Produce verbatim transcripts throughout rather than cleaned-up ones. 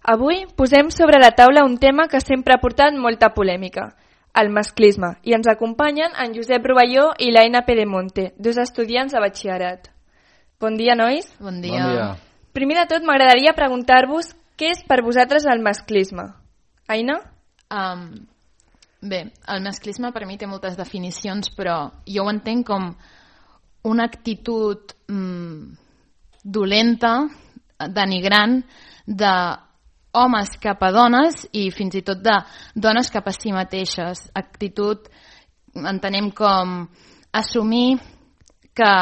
Avui posem sobre la taula un tema que sempre ha portat molta polèmica, el masclisme, i ens acompanyen en Josep Rovelló i l'Aina Pedemonte, dos estudiants de batxillerat. Bon dia, nois. Bon dia. Bon dia. Primer de tot, m'agradaria preguntar-vos què és per vosaltres el masclisme. Aina? Um, bé, el masclisme per mi té moltes definicions, però jo ho entenc com una actitud mm, dolenta, denigrant, de homes cap a dones i fins i tot de dones cap a si mateixes. Actitud entenem com assumir que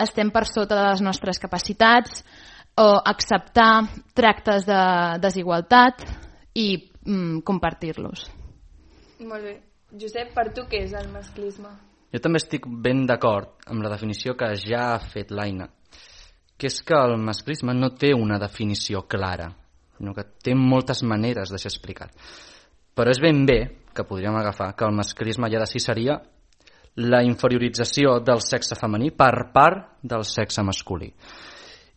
estem per sota de les nostres capacitats o acceptar tractes de desigualtat i mm, compartir-los. Molt bé. Josep, per tu què és el masclisme? Jo també estic ben d'acord amb la definició que ja ha fet l'Aina, que és que el masclisme no té una definició clara, sinó que té moltes maneres de ser explicat. Però és ben bé que podríem agafar que el masclisme ja de si seria la inferiorització del sexe femení per part del sexe masculí.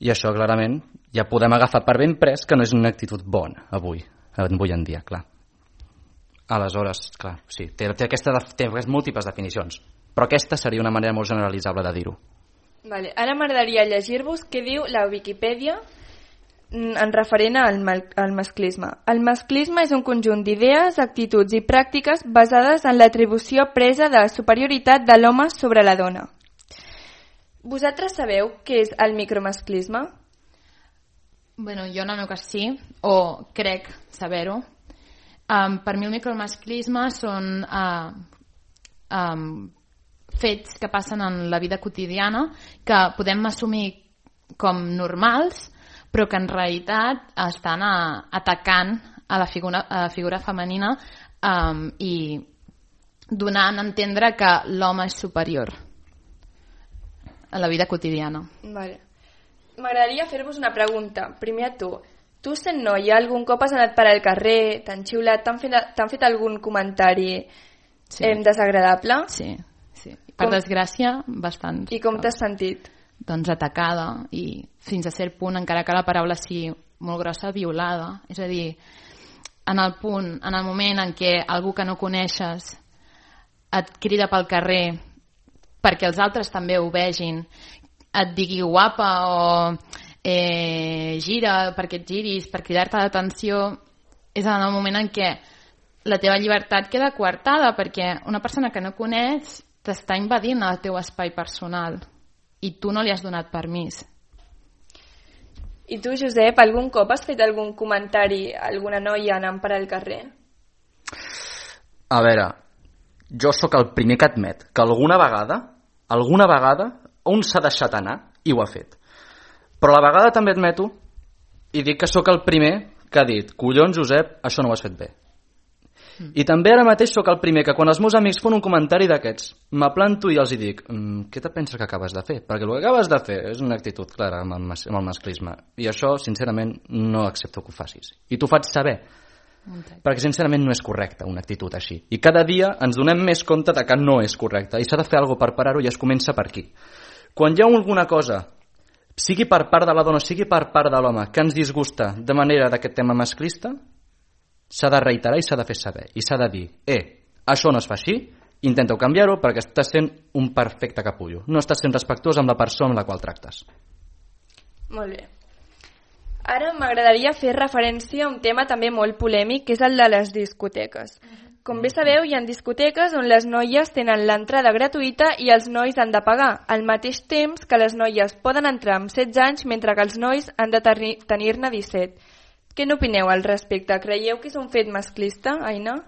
I això clarament ja podem agafar per ben pres que no és una actitud bona avui, avui en dia, clar. Aleshores, clar, sí, té, té, aquesta, té múltiples definicions, però aquesta seria una manera molt generalitzable de dir-ho. Vale. Ara m'agradaria llegir-vos què diu la Viquipèdia en referent al, al masclisme. El masclisme és un conjunt d'idees, actituds i pràctiques basades en l'atribució presa de superioritat de l'home sobre la dona. Vosaltres sabeu què és el micromasclisme? Bueno, jo en el meu cas sí, o crec saber-ho. Um, per mi el micromasclisme són uh, um, fets que passen en la vida quotidiana que podem assumir com normals, però que en realitat estan a, atacant a la figura, a la figura femenina um, i donant a entendre que l'home és superior a la vida quotidiana. Vale. M'agradaria fer-vos una pregunta. Primer a tu. Tu, sent noia, algun cop has anat per al carrer, t'han xiulat, t'han fet, t'han fet algun comentari sí. eh, desagradable? Sí, sí. Per com... desgràcia, bastant. I com t'has sentit? Doncs atacada i fins a cert punt, encara que la paraula sigui molt grossa, violada. És a dir, en el punt, en el moment en què algú que no coneixes et crida pel carrer perquè els altres també ho vegin, et digui guapa o eh, gira perquè et giris, per cridar-te l'atenció, és en el moment en què la teva llibertat queda coartada perquè una persona que no coneix t'està invadint el teu espai personal i tu no li has donat permís. I tu, Josep, algun cop has fet algun comentari a alguna noia anant per al carrer? A veure, jo sóc el primer que admet que alguna vegada, alguna vegada, un s'ha deixat anar i ho ha fet. Però a la vegada també admeto i dic que sóc el primer que ha dit collons, Josep, això no ho has fet bé. Mm. I també ara mateix sóc el primer que quan els meus amics fan un comentari d'aquests m'aplanto i els hi dic mmm, què te penses que acabes de fer? Perquè el que acabes de fer és una actitud clara amb el, mas amb el masclisme i això sincerament no accepto que ho facis i t'ho faig saber okay. Perquè sincerament no és correcte una actitud així i cada dia ens donem més compte de que no és correcte i s'ha de fer alguna cosa per parar-ho i es comença per aquí. Quan hi ha alguna cosa sigui per part de la dona, sigui per part de l'home que ens disgusta de manera d'aquest tema masclista, s'ha de reiterar i s'ha de fer saber i s'ha de dir, eh, això no es fa així, intenta-ho canviar-ho perquè estàs sent un perfecte capullo, no estàs sent respectuós amb la persona amb la qual tractes. Molt bé. Ara m'agradaria fer referència a un tema també molt polèmic, que és el de les discoteques. Com bé sabeu, hi ha discoteques on les noies tenen l'entrada gratuïta i els nois han de pagar, al mateix temps que les noies poden entrar amb setze anys mentre que els nois han de tenir-ne disset. Què n'opineu al respecte? Creieu que és un fet masclista, Aina?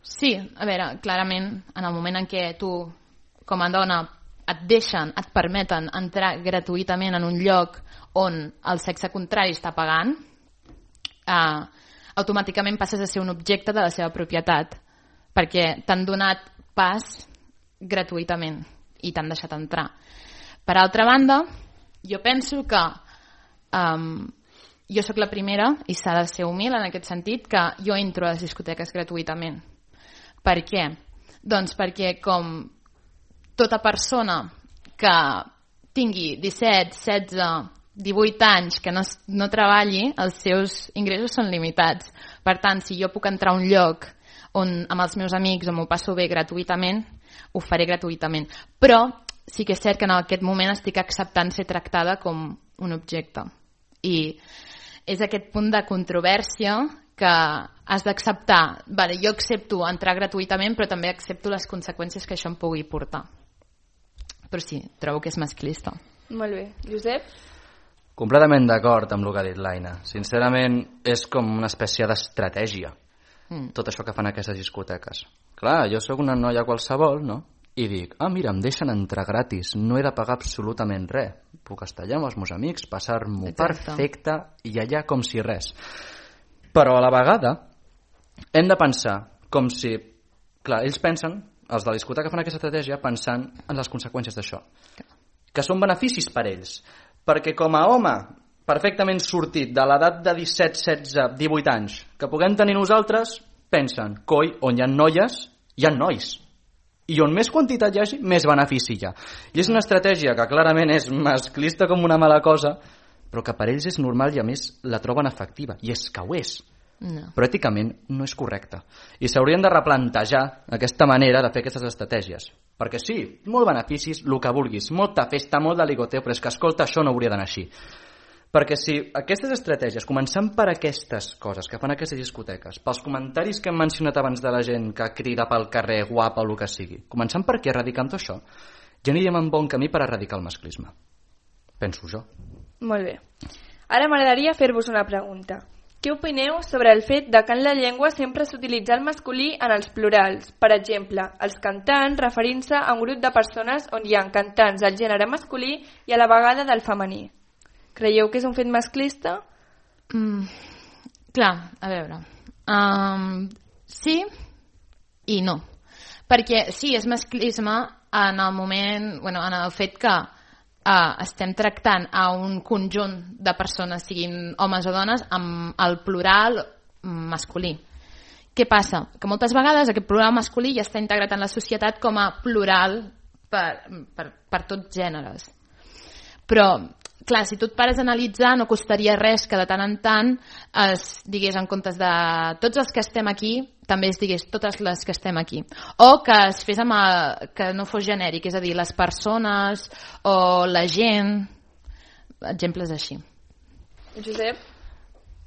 Sí, a veure, clarament, en el moment en què tu, com a dona, et deixen, et permeten entrar gratuïtament en un lloc on el sexe contrari està pagant, eh, automàticament passes a ser un objecte de la seva propietat, perquè t'han donat pas gratuïtament i t'han deixat entrar. Per altra banda, jo penso que um, jo sóc la primera, i s'ha de ser humil en aquest sentit, que jo entro a les discoteques gratuïtament. Per què? Doncs perquè com tota persona que tingui disset, setze, divuit anys que no, no treballi, els seus ingressos són limitats. Per tant, si jo puc entrar a un lloc on amb els meus amics o m'ho passo bé gratuïtament, ho faré gratuïtament. Però sí que és cert que en aquest moment estic acceptant ser tractada com un objecte. I és aquest punt de controvèrsia que has d'acceptar. Vale, jo accepto entrar gratuïtament, però també accepto les conseqüències que això em pugui portar. Però sí, trobo que és masclista. Molt bé. Josep? Completament d'acord amb el que ha dit l'Aina. Sincerament, és com una espècie d'estratègia. Mm. Tot això que fan aquestes discoteques. Clar, jo sóc una noia qualsevol, no? I dic, ah, mira, em deixen entrar gratis, no he de pagar absolutament res. Puc estar allà amb els meus amics, passar-m'ho perfecte i allà com si res. Però a la vegada hem de pensar com si... Clar, ells pensen, els de la discoteca fan aquesta estratègia pensant en les conseqüències d'això. Que són beneficis per ells. Perquè com a home perfectament sortit de l'edat de disset, setze, divuit anys que puguem tenir nosaltres, pensen, coi, on hi ha noies, hi ha nois. I on més quantitat hi hagi, més benefici hi ha. I és una estratègia que clarament és masclista com una mala cosa, però que per ells és normal i a més la troben efectiva. I és que ho és. No. Però èticament no és correcte. I s'haurien de replantejar aquesta manera de fer aquestes estratègies. Perquè sí, molt beneficis, el que vulguis, molta festa, molt de ligoteo, però és que, escolta, això no hauria d'anar així. Perquè si aquestes estratègies, començant per aquestes coses que fan aquestes discoteques, pels comentaris que hem mencionat abans de la gent que crida pel carrer, guapa o el que sigui, començant per què erradicam tot això, ja aniríem en bon camí per erradicar el masclisme. Penso jo. Molt bé. Ara m'agradaria fer-vos una pregunta. Què opineu sobre el fet de que en la llengua sempre s'utilitza el masculí en els plurals? Per exemple, els cantants referint-se a un grup de persones on hi ha cantants del gènere masculí i a la vegada del femení. Creieu que és un fet masclista? Mm, clar, a veure. Um, sí i no. Perquè sí, és masclisme en el moment, bueno, en el fet que uh, estem tractant a un conjunt de persones, siguin homes o dones, amb el plural masculí. Què passa? Que moltes vegades aquest plural masculí ja està integrat en la societat com a plural per, per, per tots gèneres. Però clar, si tu et pares a analitzar, no costaria res que de tant en tant es digués en comptes de tots els que estem aquí, també es digués totes les que estem aquí. O que es fes amb el, que no fos genèric, és a dir, les persones o la gent, exemples així. Josep?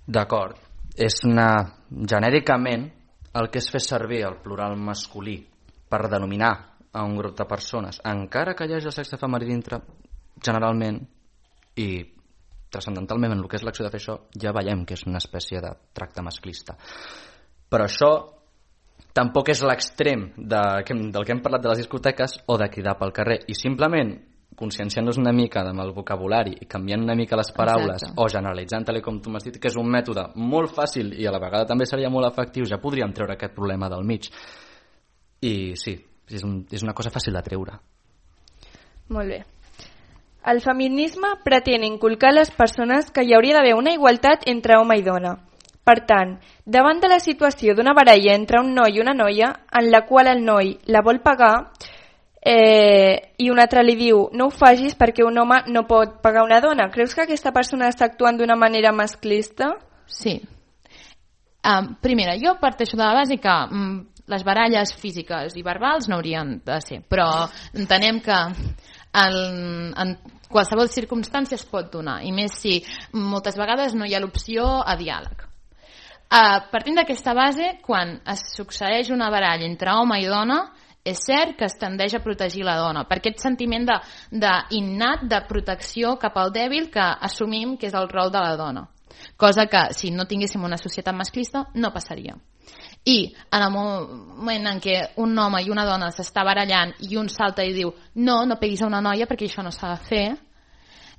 D'acord. És una... genèricament el que es fes servir el plural masculí per denominar a un grup de persones, encara que hi hagi el sexe femení dintre, generalment i transcendentalment en el que és l'acció de fer això ja veiem que és una espècie de tracte masclista. Però això tampoc és l'extrem de, del que hem parlat de les discoteques o de cridar pel carrer, i simplement conscienciant-nos una mica amb el vocabulari i canviant una mica les paraules. Exacte. O generalitzant tal com tu m'has dit, que és un mètode molt fàcil i a la vegada també seria molt efectiu, ja podríem treure aquest problema del mig. I sí, és, un, és una cosa fàcil de treure. Molt bé. El feminisme pretén inculcar a les persones que hi hauria d'haver una igualtat entre home i dona. Per tant, davant de la situació d'una baralla entre un noi i una noia, en la qual el noi la vol pagar eh, i un altre li diu no ho facis perquè un home no pot pagar una dona, creus que aquesta persona està actuant d'una manera masclista? Sí. Um, primera, jo parteixo de la base que um, les baralles físiques i verbals no haurien de ser, però entenem que en, en qualsevol circumstància es pot donar, i més si moltes vegades no hi ha l'opció a diàleg. Uh, partint d'aquesta base, quan es succeeix una baralla entre home i dona, és cert que es tendeix a protegir la dona, per aquest sentiment de, de innat de protecció cap al dèbil que assumim que és el rol de la dona, cosa que si no tinguéssim una societat masclista no passaria. I en el moment en què un home i una dona s'està barallant i un salta i diu no, no peguis a una noia perquè això no s'ha de fer,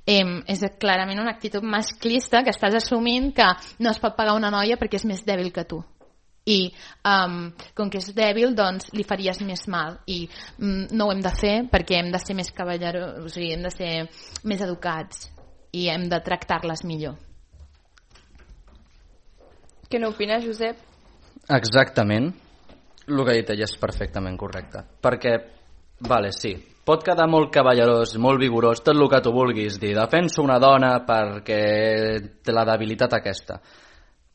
eh, és clarament una actitud masclista que estàs assumint que no es pot pegar una noia perquè és més dèbil que tu. I um, com que és dèbil, doncs li faries més mal i um, no ho hem de fer perquè hem de ser més cavalleros, o sigui, hem de ser més educats i hem de tractar-les millor. Què n'opines, Josep? Exactament. El que ha dit ella és perfectament correcte. Perquè Vale, sí. Pot quedar molt cavallerós, molt vigorós, tot el que tu vulguis dir. Defenso una dona perquè té la debilitat aquesta.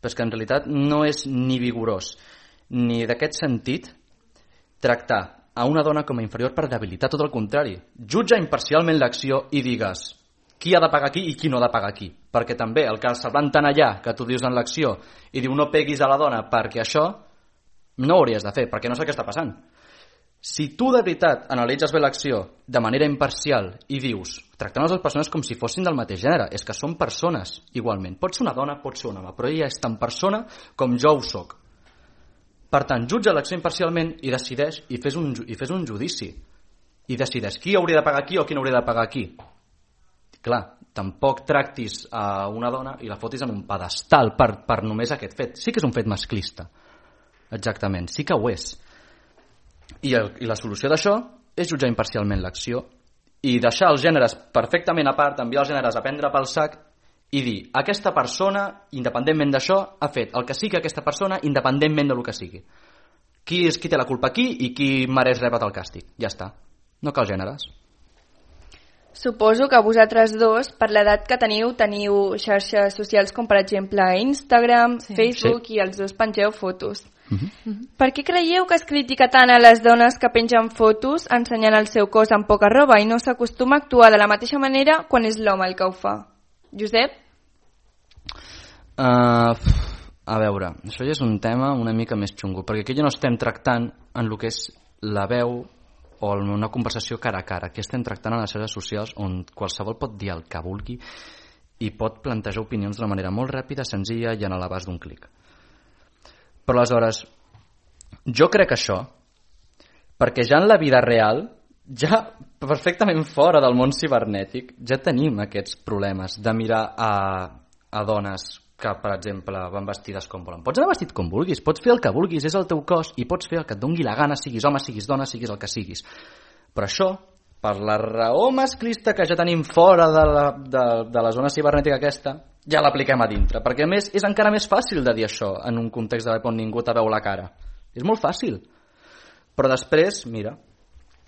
Però és que en realitat no és ni vigorós, ni d'aquest sentit tractar a una dona com a inferior per debilitat, tot el contrari. Jutja imparcialment l'acció i digues qui ha de pagar aquí i qui no ha de pagar aquí. Perquè també el que se'l van tan allà, que tu dius en l'acció, i diu no peguis a la dona perquè això, no ho hauries de fer, perquè no sé què està passant. Si tu de veritat analitzes bé l'acció de manera imparcial i dius, tractant les dues persones com si fossin del mateix gènere, és que són persones igualment. Pot ser una dona, pot ser un home, però ella és tan persona com jo ho soc. Per tant, jutja l'acció imparcialment i decideix i fes un, i fes un judici. I decideix qui hauria de pagar aquí o qui no hauria de pagar aquí. Clar, tampoc tractis a una dona i la fotis en un pedestal per, per només aquest fet. Sí que és un fet masclista. Exactament, sí que ho és. I, el, i la solució d'això és jutjar imparcialment l'acció i deixar els gèneres perfectament a part, enviar els gèneres a prendre pel sac i dir, aquesta persona, independentment d'això, ha fet el que sigui aquesta persona, independentment del que sigui. Qui és qui té la culpa aquí i qui mereix rebre el càstig. Ja està. No cal gèneres. Suposo que vosaltres dos, per l'edat que teniu, teniu xarxes socials com per exemple Instagram, sí. Facebook sí. I els dos pengeu fotos. Uh-huh. Per què creieu que es critica tant a les dones que pengen fotos ensenyant el seu cos amb poca roba i no s'acostuma a actuar de la mateixa manera quan és l'home el que ho fa? Josep? Uh, a veure, això ja és un tema una mica més xungo, perquè aquí ja no estem tractant en el que és la veu o una conversació cara a cara. Aquí estem tractant en les xarxes socials on qualsevol pot dir el que vulgui i pot plantejar opinions d'una manera molt ràpida, senzilla i en l'abast d'un clic. Però aleshores, jo crec això, perquè ja en la vida real, ja perfectament fora del món cibernètic, ja tenim aquests problemes de mirar a, a dones que, per exemple, van vestides com volen. Pots anar vestit com vulguis, pots fer el que vulguis, és el teu cos, i pots fer el que et dongui la gana, siguis home, siguis dona, siguis el que siguis. Però això, per la raó masclista que ja tenim fora de la, de, de la zona cibernètica aquesta, ja l'apliquem a dintre, perquè a més és encara més fàcil de dir això en un context de on ningú te veu la cara. És molt fàcil. Però després, mira,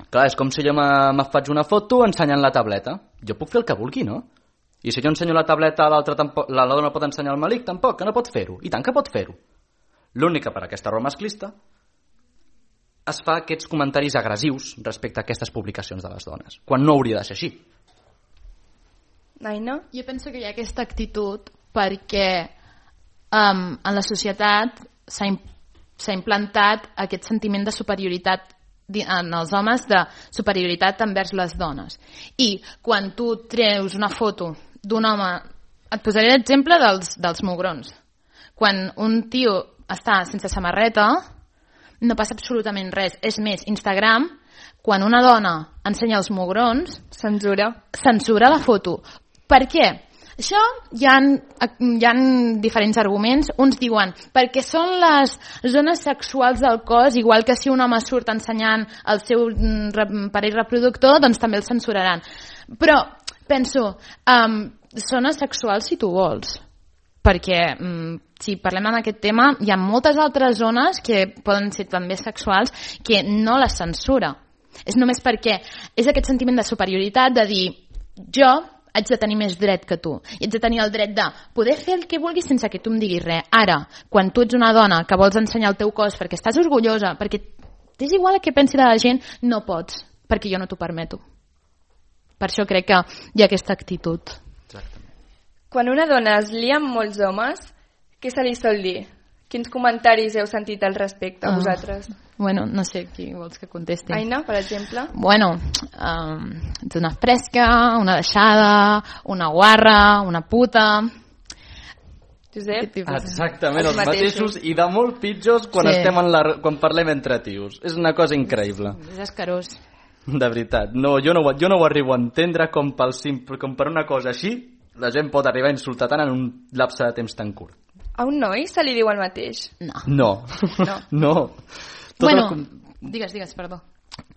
clar, és com si jo me, me faig una foto ensenyant la tableta. Jo puc fer el que vulgui, no? I si jo ensenyo la tableta, l'altra tampoc, la dona pot ensenyar el malic, tampoc, que no pot fer-ho. I tant que pot fer-ho. L'únic que per aquesta raó masclista es fa aquests comentaris agressius respecte a aquestes publicacions de les dones, quan no hauria de ser així. Aina? Jo penso que hi ha aquesta actitud perquè um, en la societat s'ha, s'ha implantat aquest sentiment de superioritat en els homes, de superioritat envers les dones. I quan tu treus una foto d'un home, et posaré l'exemple dels, dels mugrons. Quan un tio està sense samarreta, no passa absolutament res. És més, Instagram, quan una dona ensenya els mugrons, censura, censura la foto. Per què? Això hi ha, hi ha diferents arguments. Uns diuen perquè són les zones sexuals del cos, igual que si un home surt ensenyant el seu parell reproductor, doncs també el censuraran. Però penso, um, zones sexuals si tu vols, perquè um, si parlem en aquest tema hi ha moltes altres zones que poden ser també sexuals que no les censura. És només perquè és aquest sentiment de superioritat, de dir jo haig de tenir més dret que tu. I haig de tenir el dret de poder fer el que vulguis sense que tu em diguis res. Ara, quan tu ets una dona que vols ensenyar el teu cos perquè estàs orgullosa, perquè t'és igual el que pensi de la gent, no pots, perquè jo no t'ho permeto. Per això crec que hi ha aquesta actitud. Exactament. Quan una dona es lia amb molts homes, què se li sol dir? Quins comentaris heu sentit al respecte, ah. vosaltres? Bueno, no sé qui vols que contesti. Aina, per exemple? Bueno, um, ets una fresca, una deixada, una guarra, una puta... Josep? Exactament, els, els mateixos i de molt pitjors quan, sí. estem en la, quan parlem entre tios. És una cosa increïble. És escarós. De veritat. No, jo, no, jo no ho arribo a entendre com, pel simple, com per una cosa així la gent pot arribar a insultar tant en un lapse de temps tan curt. A un noi se li diu el mateix? No. No. No. no. Tot bueno, el... digues, digues, perdó.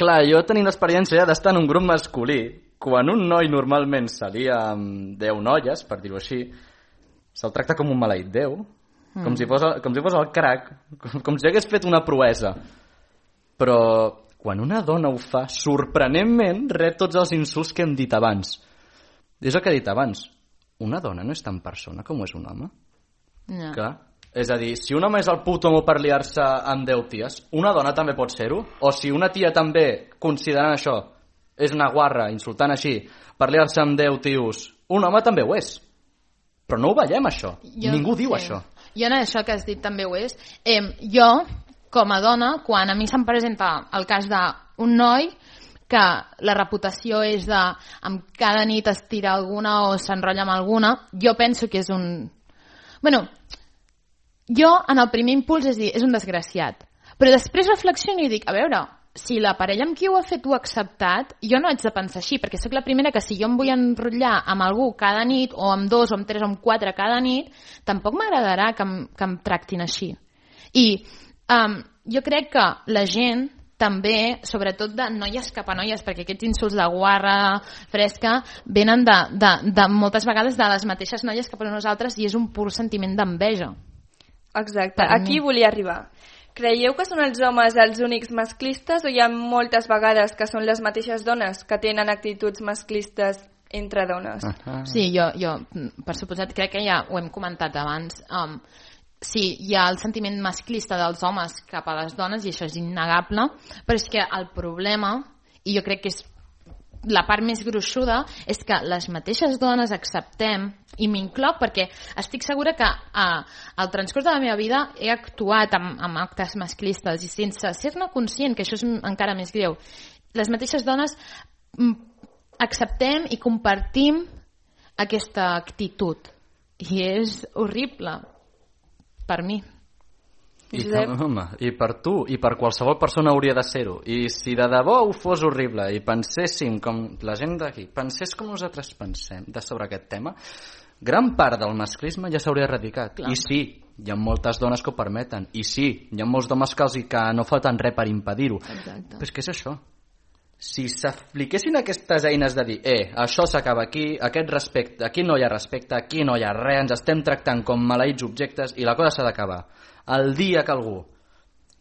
Clar, jo tenim l'experiència ja d'estar en un grup masculí. Quan un noi normalment se lia amb deu noies, per dir-ho així, se'l tracta com un maleït Déu, mm. com, si fos, com si fos el crac, com, com si hagués fet una proesa. Però quan una dona ho fa, sorprenentment rep tots els insults que hem dit abans. És el que he dit abans. Una dona no és tan persona com és un home. No. Clar. És a dir, si un home és el puto amo per liar-se amb deu ties, una dona també pot ser-ho? O si una tia també, considerant això, és una guarra, insultant així, per liar-se amb deu tios, un home també ho és. Però no ho veiem, això. Jo, Ningú diu sí. això. Jo en això que has dit també ho és. Eh, jo, com a dona, quan a mi se'm presenta el cas d'un noi que la reputació és de amb cada nit es tira alguna o s'enrotlla amb alguna, jo penso que és un... Bueno, jo en el primer impuls és dir, és un desgraciat. Però després reflexiono i dic, a veure, si la parella amb qui ho ha fet ho ha acceptat, jo no haig de pensar així, perquè sóc la primera que si jo em vull enrotllar amb algú cada nit, o amb dos, o amb tres, o amb quatre cada nit, tampoc m'agradarà que, em, que em tractin així. I um, jo crec que la gent també, sobretot de noies cap a noies, perquè aquests insults de guarra fresca venen de, de, de moltes vegades de les mateixes noies cap a nosaltres i és un pur sentiment d'enveja. Exacte, aquí volia arribar. Creieu que són els homes els únics masclistes o hi ha moltes vegades que són les mateixes dones que tenen actituds masclistes entre dones? Uh-huh. Sí, jo, jo, per suposat, crec que ja ho hem comentat abans. Um, sí, hi ha el sentiment masclista dels homes cap a les dones i això és innegable, però és que el problema, i jo crec que és la part més gruixuda, és que les mateixes dones acceptem, i m'incloc perquè estic segura que eh, al transcurs de la meva vida he actuat amb, amb actes masclistes i sense ser-ne conscient, que això és encara més greu, les mateixes dones mm, acceptem i compartim aquesta actitud i és horrible per mi. I, home, i per tu i per qualsevol persona hauria de ser-ho, i si de debò ho fos horrible i penséssim com la gent d'aquí pensés com nosaltres pensem de sobre aquest tema, gran part del masclisme ja s'hauria erradicat. Clar. I sí, hi ha moltes dones que ho permeten, i sí, hi ha molts homes que, els, que no foten res per impedir-ho. Però és que és això, si s'apliquessin aquestes eines de dir eh, això s'acaba aquí, aquest respecte, aquí no hi ha respecte, aquí no hi ha res, ens estem tractant com maleïts objectes i la cosa s'ha d'acabar. El dia que algú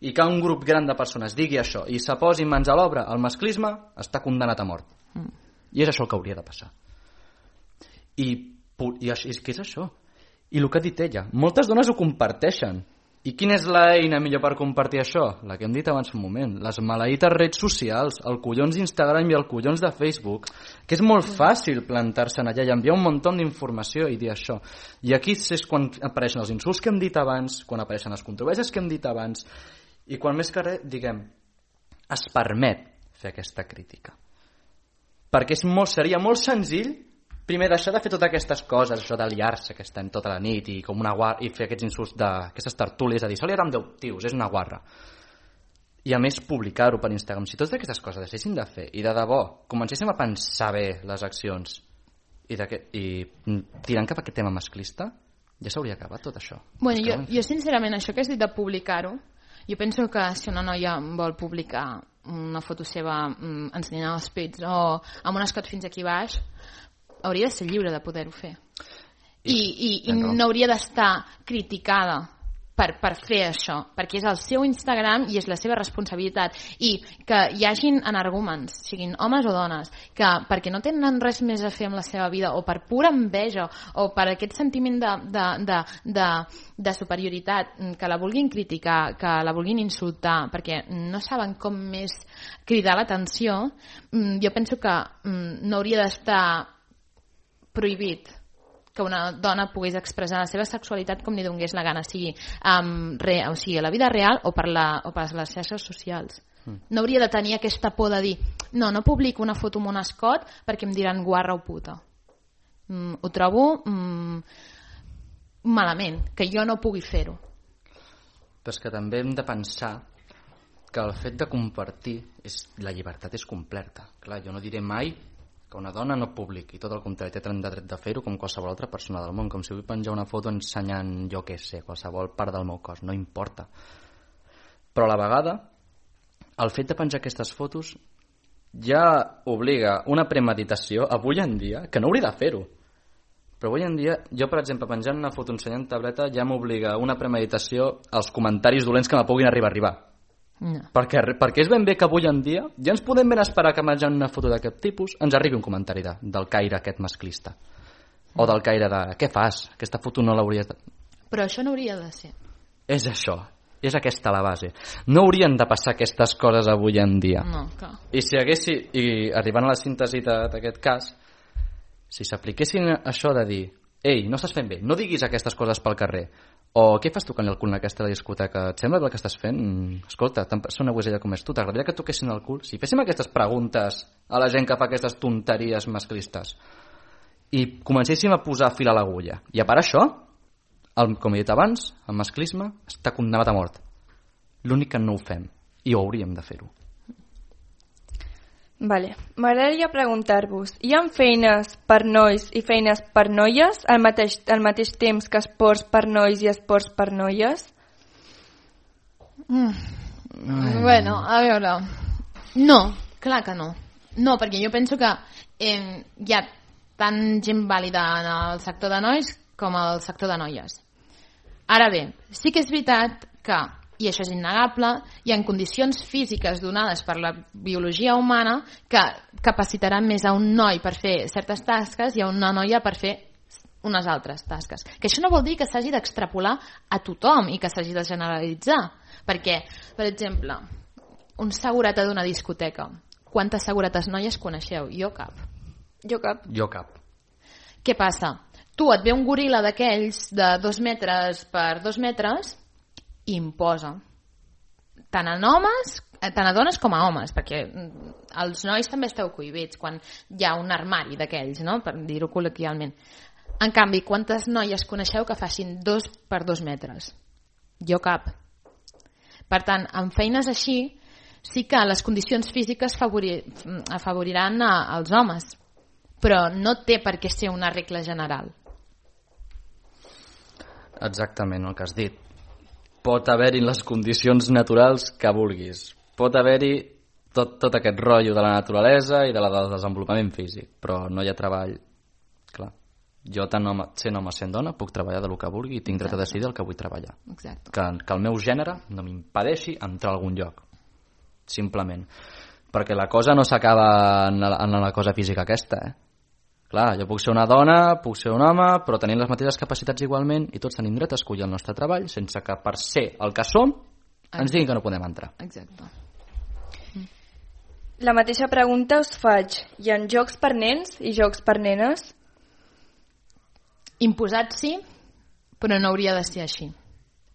i que un grup gran de persones digui això i se posi mans a l'obra, el masclisme està condemnat a mort. Mm. I és això el que hauria de passar. I, i és que és això. I el que ha dit ella, moltes dones ho comparteixen. I quina és l'eina millor per compartir això? La que hem dit abans un moment, les maleïtes redes socials, el collons d'Instagram i el collons de Facebook, que és molt fàcil plantar-se en allà i enviar un munt d'informació i dir això. I aquí és quan apareixen els insults que hem dit abans, quan apareixen les controvèrsies que hem dit abans, i quan més que res, diguem, es permet fer aquesta crítica. Perquè és molt, seria molt senzill primer deixar de fer totes aquestes coses, això de liar-se que estem tota la nit i com una guarra, i fer aquests insults d'aquestes tertúlies, a dir, se liarà amb deu tios, és una guarra. I a més publicar-ho per Instagram. Si totes aquestes coses deixéssim de fer i de debò comencéssim a pensar bé les accions i, i tirant cap a aquest tema masclista, ja s'hauria acabat tot això. Bueno, jo, jo sincerament, això que has dit de publicar-ho, jo penso que si una noia vol publicar una foto seva mm, ensenyant els pits o amb un escot fins aquí baix, hauria de ser lliure de poder-ho fer. I, i, i no hauria d'estar criticada per, per fer això, perquè és el seu Instagram i és la seva responsabilitat. I que hi hagin energúmens, siguin homes o dones, que perquè no tenen res més a fer amb la seva vida, o per pura enveja, o per aquest sentiment de, de, de, de, de superioritat, que la vulguin criticar, que la vulguin insultar, perquè no saben com més cridar l'atenció, jo penso que no hauria d'estar prohibit que una dona pogués expressar la seva sexualitat com li donés la gana, sigui, um, re, o sigui a la vida real o per, la, o per les xarxes socials. Mm. No hauria de tenir aquesta por de dir no, no publico una foto amb un escot perquè em diran guarra o puta. Mm, ho trobo mm, malament, que jo no pugui fer-ho. Però és que també hem de pensar que el fet de compartir és, la llibertat és completa. Clar, jo no diré mai que una dona no publiqui, tot el contrari, té de dret de fer-ho com qualsevol altra persona del món, com si vull penjar una foto ensenyant, jo què sé, qualsevol part del meu cos, no importa. Però a la vegada, el fet de penjar aquestes fotos ja obliga una premeditació avui en dia, que no hauria de fer-ho. Però avui en dia, jo per exemple, penjant una foto ensenyant tableta ja m'obliga una premeditació als comentaris dolents que me puguin arribar a arribar. No. Perquè, perquè és ben bé que avui en dia ja ens podem ben esperar que menjant una foto d'aquest tipus ens arribi un comentari de, del caire aquest masclista. O del caire de, què fas? Aquesta foto no l'hauries de... Però això no hauria de ser. És això, és aquesta la base. No haurien de passar aquestes coses avui en dia. No, clar. I si haguessi, i arribant a la síntesi d'aquest cas, si s'apliquessin això de dir, ei, no estàs fent bé, no diguis aquestes coses pel carrer, o què fas tocant el cul en aquesta discoteca? Et sembla el que estàs fent? Escolta, tan persona guisella com és tu, t'agradaria que toquessin el cul? Si féssim aquestes preguntes a la gent que fa aquestes tonteries masclistes i comencéssim a posar fil a l'agulla, i a part això, el, com he dit abans, el masclisme està condemnat a mort. L'únic que no ho fem, i ho hauríem de fer-ho. Vale. M'agradaria preguntar-vos, hi ha feines per nois i feines per noies al mateix, al mateix temps que esports per nois i esports per noies? Mm. Bueno, a veure... No, clar que no. No, perquè jo penso que eh, hi ha tant gent vàlida en el sector de nois com al sector de noies. Ara bé, sí que és veritat que, i això és innegable, hi ha condicions físiques donades per la biologia humana que capacitaran més a un noi per fer certes tasques i a una noia per fer unes altres tasques. Que això no vol dir que s'hagi d'extrapolar a tothom i que s'hagi de generalitzar. Perquè, per exemple, un segurata d'una discoteca. Quantes seguretes noies coneixeu? Jo cap. Jo cap. Jo cap. Què passa? Tu et ve un goril·la d'aquells de dos metres per dos metres i imposa. Tant a homes, tant a dones com a homes, perquè els nois també esteu cohibits quan hi ha un armari d'aquells, no? Per dir-ho col·loquialment. En canvi, quantes noies coneixeu que facin dos per dos metres? Jo cap. Per tant, en feines així, sí que les condicions físiques favori, afavoriran a, als homes, però no té per què ser una regla general. Exactament el que has dit. Pot haver-hi les condicions naturals que vulguis. Pot haver-hi tot, tot aquest rotllo de la naturalesa i de la del desenvolupament físic, però no hi ha treball. Clar, jo tant home, sent home sent dona puc treballar del que vulgui i tinc dret a decidir el que vull treballar. Exacte. Que, que el meu gènere no m'impedeixi entrar a algun lloc, simplement. Perquè la cosa no s'acaba en, la, en la cosa física aquesta, eh? Clar, jo puc ser una dona, puc ser un home, però tenim les mateixes capacitats igualment i tots tenim dret a escollir el nostre treball sense que per ser el que som ens diguin que no podem entrar. Exacte. La mateixa pregunta us faig. Hi ha jocs per nens i jocs per nenes? Imposat sí, però no hauria de ser així.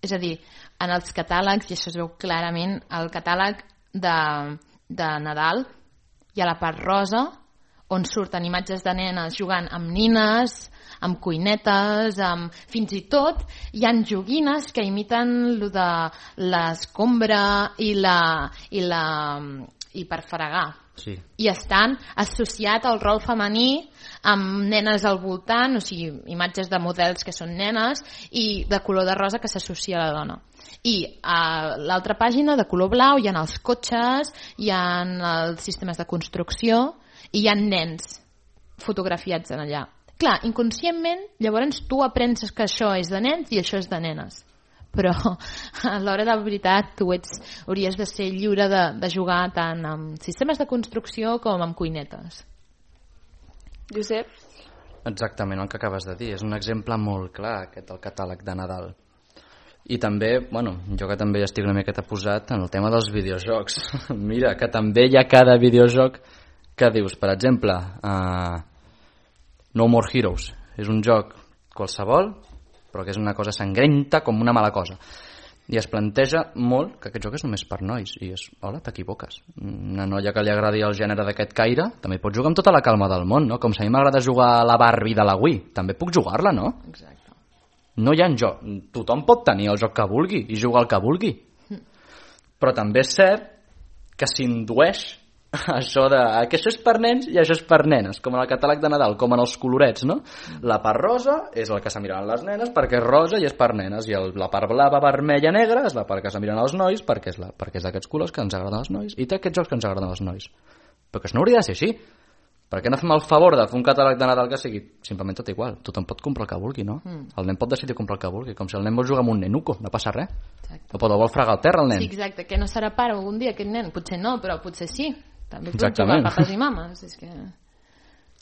És a dir, en els catàlegs, i això es veu clarament, el catàleg de, de Nadal hi ha la part rosa on surten imatges de nenes jugant amb nines, amb cuinetes, amb... fins i tot hi ha joguines que imiten lo de l'escombra i la... i la i per fregar. Sí. I estan associat al rol femení amb nenes al voltant, o sigui, imatges de models que són nenes i de color de rosa que s'associa a la dona. I a l'altra pàgina, de color blau, hi ha els cotxes, hi ha els sistemes de construcció i hi ha nens fotografiats en allà. Clar, inconscientment, llavors tu aprens que això és de nens i això és de nenes. Però a l'hora de la veritat tu ets, hauries de ser lliure de, de jugar tant amb sistemes de construcció com amb cuinetes. Josep? Exactament el que acabes de dir. És un exemple molt clar, aquest del catàleg de Nadal. I també, bueno, jo que també estic una miqueta posat en el tema dels videojocs. Mira, que també hi ha cada videojoc que dius, per exemple, uh, No More Heroes. És un joc qualsevol, però que és una cosa sangrenta com una mala cosa. I es planteja molt que aquest joc és només per nois. I és, hola, t'equivoques. Una noia que li agradi el gènere d'aquest caire també pot jugar amb tota la calma del món, no? Com si a mi m'agrada jugar a la Barbie de la Wii. També puc jugar-la, no? Exacte. No hi ha joc. Tothom pot tenir el joc que vulgui i jugar el que vulgui. Però també és cert que s'indueix això de que això és per nens i això és per nenes, com en el catàleg de Nadal, com en els colorets, no? La part rosa és el que s'amiran les nenes perquè és rosa i és per nenes, i el, la part blava, vermella, negra és la part que s'amiran els nois perquè és, la, perquè és d'aquests colors que ens agraden als nois i té aquests jocs que ens agraden als nois. Però que això no hauria de ser així. Per què no fem el favor de fer un catàleg de Nadal que sigui simplement tot igual? Tothom pot comprar el que vulgui, no? Mm. El nen pot decidir comprar el que vulgui, com si el nen vol jugar amb un nenuco, no passa res. O pot, vol fregar al terra el nen. Sí, exacte, que no serà pare algun dia aquest nen, potser no, però potser sí. També pot Exactament. jugar papes i mames, és que...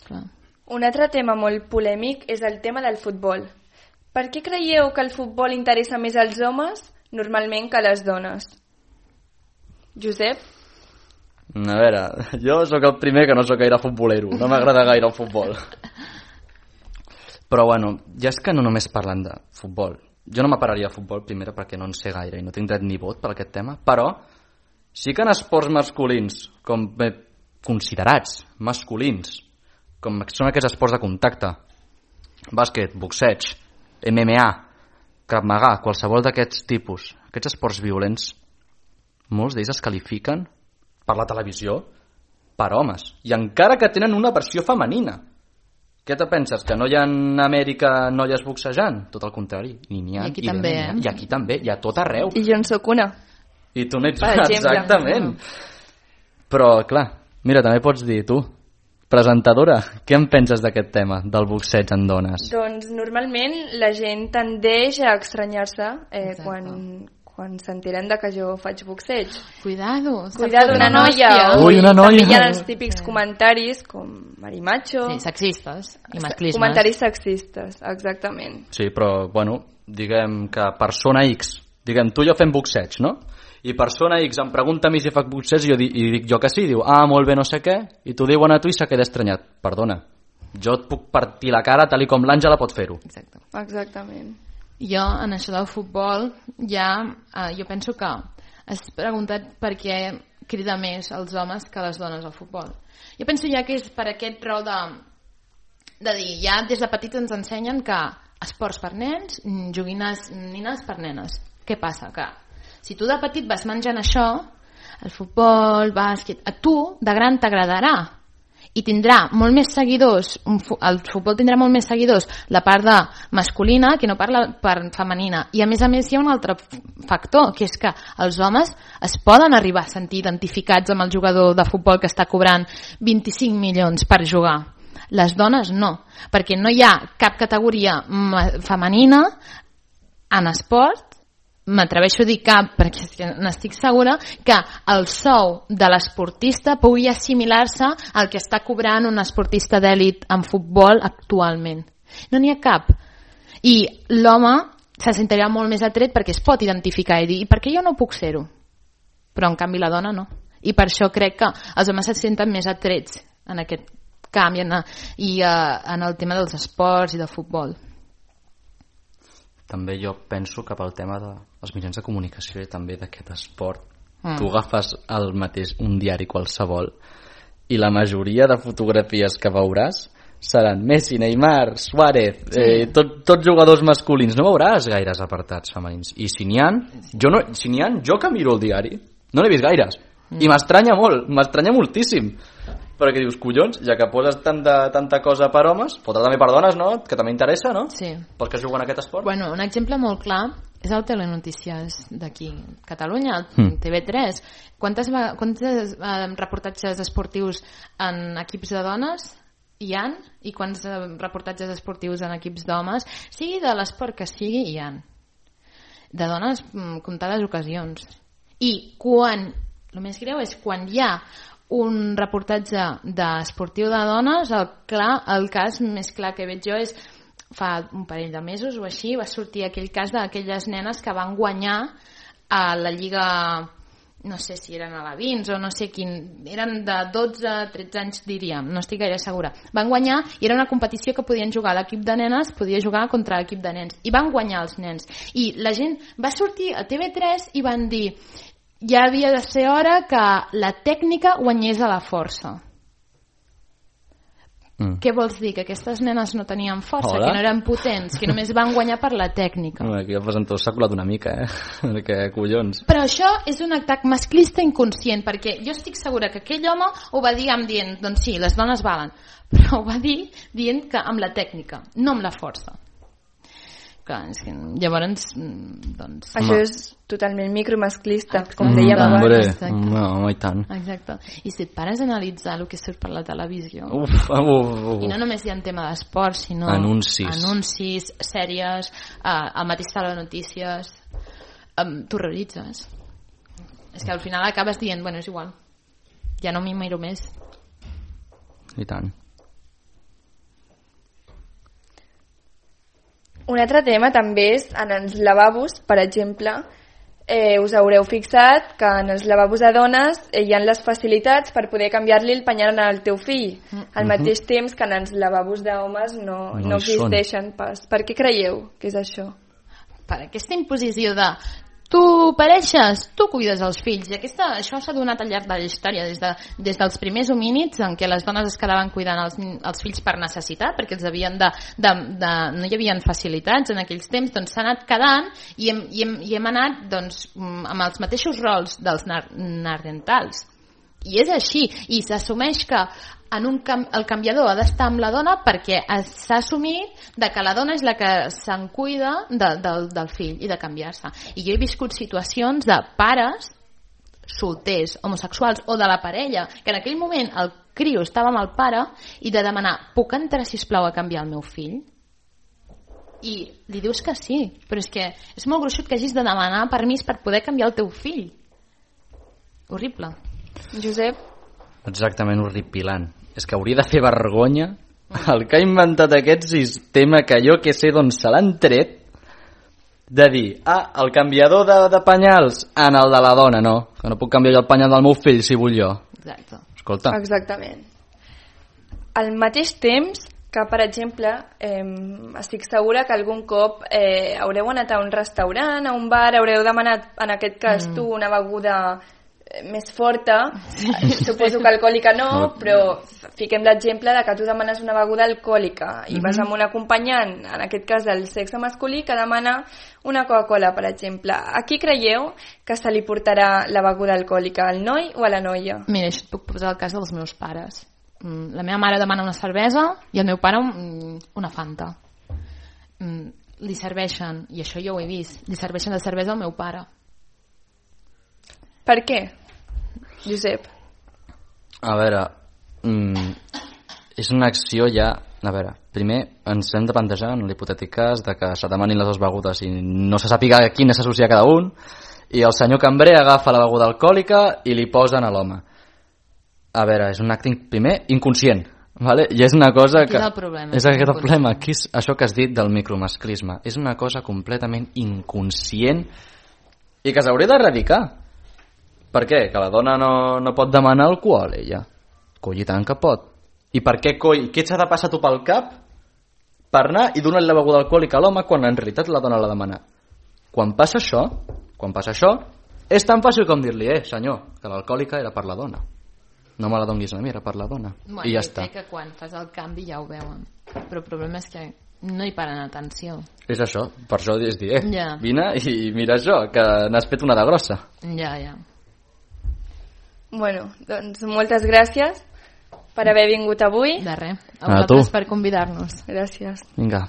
Clar. Un altre tema molt polèmic és el tema del futbol. Per què creieu que el futbol interessa més als homes normalment que a les dones? Josep? A veure, jo sóc el primer que no sóc gaire futbolero, no m'agrada gaire el futbol. Però bueno, ja és que no només parlen de futbol. Jo no m'apararia a futbol, primera, perquè no en sé gaire i no tinc dret ni vot per aquest tema, però sí que en esports masculins, com bé considerats masculins, com són aquests esports de contacte, bàsquet, boxeig, M M A, Krav Maga, qualsevol d'aquests tipus, aquests esports violents, molts d'ells es qualifiquen per la televisió per homes, i encara que tenen una versió femenina. Què te penses, que no hi ha en Amèrica noies boxejant? Tot el contrari, ni n'hi ha. I aquí i també, eh? I aquí també, hi ha tot arreu. I jo en sóc una. I tu n'ets Per una, exemple. exactament. Però, clar, mira, també pots dir tu, presentadora, què en penses d'aquest tema, del boxeig en dones? Doncs normalment la gent tendeix a estranyar-se eh, Exacte. quan, quan s'enteren de que jo faig boxeig. Cuidado. Cuidado, una noia. Ui, una noia. També hi ha els típics comentaris com marimacho. Sí, sexistes i masclismes. Comentaris sexistes, exactament. Sí, però, bueno, diguem que persona X, diguem, tu i jo fem boxeig, no? I persona X em pregunta a mi si faig boxeig i jo dic, i dic jo que sí, diu, ah, molt bé, no sé què, i t'ho diuen a tu i se queda estranyat. Perdona, jo et puc partir la cara tal i com l'Àngela pot fer-ho. Exacte. Exactament. Jo, en això del futbol, ja, eh, jo penso que has preguntat per què crida més els homes que les dones al futbol. Jo penso ja que és per aquest rol de, de dir, ja des de petits ens ensenyen que esports per nens, joguines nines per nenes. Què passa? Que si tu de petit vas menjant això, el futbol, bàsquet, a tu de gran t'agradarà i tindrà molt més seguidors, un fu- el futbol tindrà molt més seguidors la part de masculina que no per la part femenina. I a més a més hi ha un altre f- factor, que és que els homes es poden arribar a sentir identificats amb el jugador de futbol que està cobrant vint-i-cinc milions per jugar. Les dones no, perquè no hi ha cap categoria ma- femenina en esport, m'atreveixo a dir cap perquè és que n'estic segura que el sou de l'esportista pugui assimilar-se al que està cobrant un esportista d'èlit en futbol actualment. No n'hi ha cap. I l'home se sentirà molt més atret perquè es pot identificar i dir, i per què jo no puc ser-ho? Però en canvi la dona no. I per això crec que els homes se senten més atrets en aquest canvi en, i uh, en el tema dels esports i del futbol. També jo penso que pel tema dels mitjans de comunicació i també d'aquest esport, Mm. tu agafes el mateix, un diari qualsevol, i la majoria de fotografies que veuràs seran Messi, Neymar, Suárez, sí. eh, tot, tots jugadors masculins. No veuràs gaires apartats femenins. I si n'hi ha, jo, no, si n'hi ha, jo que miro el diari, no n'he vist gaires. Mm. I m'estranya molt, m'estranya moltíssim. Perquè dius, collons, ja que poses tanta, tanta cosa per homes, fotre també per dones, no? Que també interessa, no? Sí. Pels que juguen a aquest esport. Bueno, un exemple molt clar és el Telenotícies d'aquí, Catalunya, el Mm. T V tres. Quantes, va- quantes eh, reportatges esportius en equips de dones hi han? I quants eh, reportatges esportius en equips d'homes? Sigui de l'esport que sigui, hi han. De dones, mm, comptades ocasions. I quan, el més greu és quan hi ha un reportatge d'esportiu de dones, el, clar, el cas més clar que veig jo és fa un parell de mesos o així va sortir aquell cas d'aquelles nenes que van guanyar a la Lliga, no sé si eren alevins o no sé quin, eren de dotze a tretze anys diríem, no estic gaire segura, van guanyar i era una competició que podien jugar l'equip de nenes, podia jugar contra l'equip de nens i van guanyar els nens i la gent va sortir a T V tres i van dir ja havia de ser hora que la tècnica guanyés a la força. Mm. Què vols dir? Que aquestes nenes no tenien força, Hola. que no eren potents, que només van guanyar per la tècnica. Home, aquí el presentador s'ha colat una mica, eh? Perquè, collons. Però això és un atac masclista inconscient, perquè jo estic segura que aquell home ho va dir amb dient, doncs sí, les dones valen, però ho va dir dient que amb la tècnica, no amb la força. Clar, és que llavors, mm, doncs... Això Home. és totalment micromasclista, com Mm, dèiem va. abans. Hombre, Exacte. no, home, i tant. Exacte. I si et pares a analitzar el que surt per la televisió, Uf, uf, uf. i no només hi ha un tema d'esport, sinó Anuncis. anuncis, sèries, eh, el mateix Telenotícies, um, t'horroritzes. És que al final acabes dient, bueno, és igual, ja no m'hi miro més. I tant. Un altre tema també és en els lavabos, per exemple, eh, us haureu fixat que en els lavabos de dones eh, hi ha les facilitats per poder canviar-li el penyal al teu fill, al mateix temps que en els lavabos d'homes no, no, No hi existeixen pas. Per què creieu que és això? Per aquesta imposició de tu pareixes, tu cuides els fills, i aquesta, això s'ha donat al llarg de la història, des, de, des dels primers homínids en què les dones es quedaven cuidant els, els fills per necessitat, perquè els havien de, de, de, no hi havia facilitats en aquells temps, doncs s'ha anat quedant i hem, i hem, i hem anat doncs, amb els mateixos rols dels nar nardentals. I és així, i s'assumeix que en un cam el canviador ha d'estar amb la dona perquè s'ha assumit de que la dona és la que se'n cuida de, de, del fill i de canviar-se. I jo he viscut situacions de pares solters, homosexuals o de la parella, que en aquell moment el criu estava amb el pare i de demanar, puc entrar sisplau a canviar el meu fill? I li dius que sí, però és que és molt gruixut que hagis de demanar permís per poder canviar el teu fill. Horrible. Josep? Exactament, horripilant. És que hauria de fer vergonya el que ha inventat aquest sistema que jo que sé d'on se l'han tret, de dir, ah, el canviador de, de penyals en el de la dona, no, que no puc canviar el penyal del meu fill si vull jo. Exacte. Escolta. Exactament. Al mateix temps que, per exemple, eh, estic segura que algun cop eh, haureu anat a un restaurant, a un bar, haureu demanat, en aquest cas mm. tu, una beguda més forta, suposo que alcohòlica no, però fiquem l'exemple de que tu demanes una beguda alcohòlica i vas amb un acompanyant, en aquest cas del sexe masculí, que demana una Coca-Cola, per exemple. A qui creieu que se li portarà la beguda alcohòlica, al noi o a la noia? Mira, això et puc posar el cas dels meus pares. La meva mare demana una cervesa i el meu pare una Fanta. Li serveixen, i això jo ho he vist, li serveixen la cervesa al meu pare. Per què, Josep? A veure, mm, és una acció ja... A veure, primer ens hem de plantejar en l'hipotètic cas de que se demanin les dues begudes i no se sàpiga a quina s'associa cada un, i el senyor cambrer agafa la beguda alcohòlica i li posen a l'home. A veure, és un acte, primer, inconscient, vale? I és una cosa que... Aquí és el problema. És aquest el problema, aquí és això que has dit del micromasclisme. És una cosa completament inconscient i que s'hauria d'erradicar. Per què? Que la dona no, no pot demanar alcohol, ella. Coi, i tant que pot. I per què, coi? Què s'ha de passar tu pel cap per anar i donar-li la beguda alcohòlica a l'home quan en realitat la dona la demana? Quan passa això, quan passa això, és tan fàcil com dir-li, eh, senyor, que l'alcohòlica era per la dona. No me la donguis a mi, era per la dona. Bueno, I ja està. crec que quan fas el canvi ja ho veuen. Però el problema és que no hi paren atenció. És això, per això és dir, eh, ja. vine i mira això, que n'has fet una de grossa. Ja, ja. Bueno, doncs moltes gràcies per haver vingut avui. De res. A A tu. vosaltres per convidar-nos. Gràcies. Vinga.